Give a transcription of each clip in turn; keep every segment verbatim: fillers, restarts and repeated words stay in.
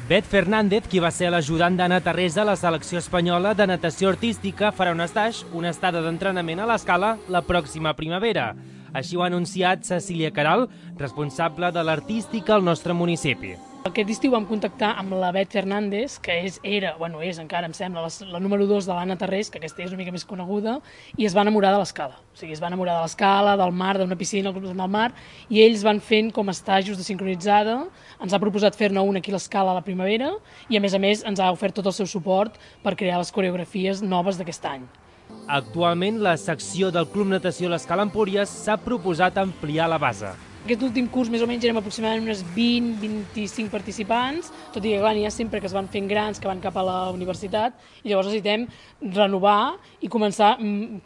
Bet Fernández, qui va ser l'ajudant d'Anna Terrés a la selecció espanyola de natació artística, farà un estage, una estada d'entrenament a l'Escala la pròxima primavera. Així ho ha anunciat Cecília Queralt, responsable de l'artística al nostre municipi. Aquest estiu vam contactar amb la Bet Fernández, que és, era, bueno, és encara, em sembla, la, la número dos de l'Anna Terrés, que aquesta és una mica més coneguda, i es va enamorar de l'Escala. O sigui, es va enamorar de l'Escala, del mar, d'una piscina al del mar, i ells van fent com estajos de sincronitzada. Ens ha proposat fer-ne un aquí a l'Escala a la primavera, i a més a més ens ha ofert tot el seu suport per crear les coreografies noves d'aquest any. Actualment, la secció del Club Natació l'Escala Empúries s'ha proposat ampliar la base. Aquest últim curs més o menys érem aproximadament unes vint a vint-i-cinc participants, tot i que clar, n'hi ha sempre que es van fent grans, que van cap a la universitat, i llavors necessitem renovar i començar,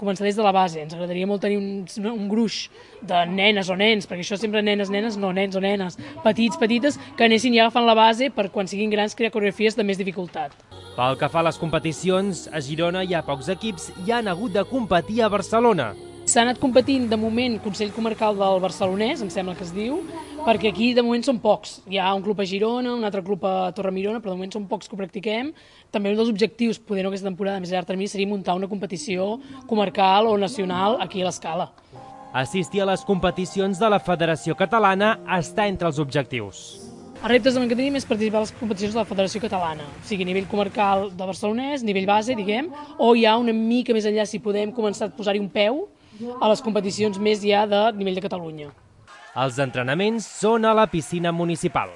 començar des de la base. Ens agradaria molt tenir un, un gruix de nenes o nens, perquè això sempre nenes, nenes, no nens o nenes, petits, petites, que anessin ja agafant la base per quan siguin grans crear coreografies de més dificultat. Pel que fa a les competicions, a Girona hi ha pocs equips i han hagut de competir a Barcelona. S'ha anat competint, de moment, Consell Comarcal del Barcelonès, em sembla que es diu, perquè aquí de moment són pocs. Hi ha un club a Girona, un altre club a Torremirona, però de moment són pocs que ho practiquem. També un dels objectius, poder no aquesta temporada més a llarg termini, seria muntar una competició comarcal o nacional aquí a l'Escala. Assistir a les competicions de la Federació Catalana està entre els objectius. Els reptes que tenim és participar a les competicions de la Federació Catalana, o sigui, a nivell comarcal del Barcelonès, nivell base, diguem, o ja una mica més enllà, si podem començar a posar-hi un peu a les competicions més ja de nivell de Catalunya. Els entrenaments són a la piscina municipal.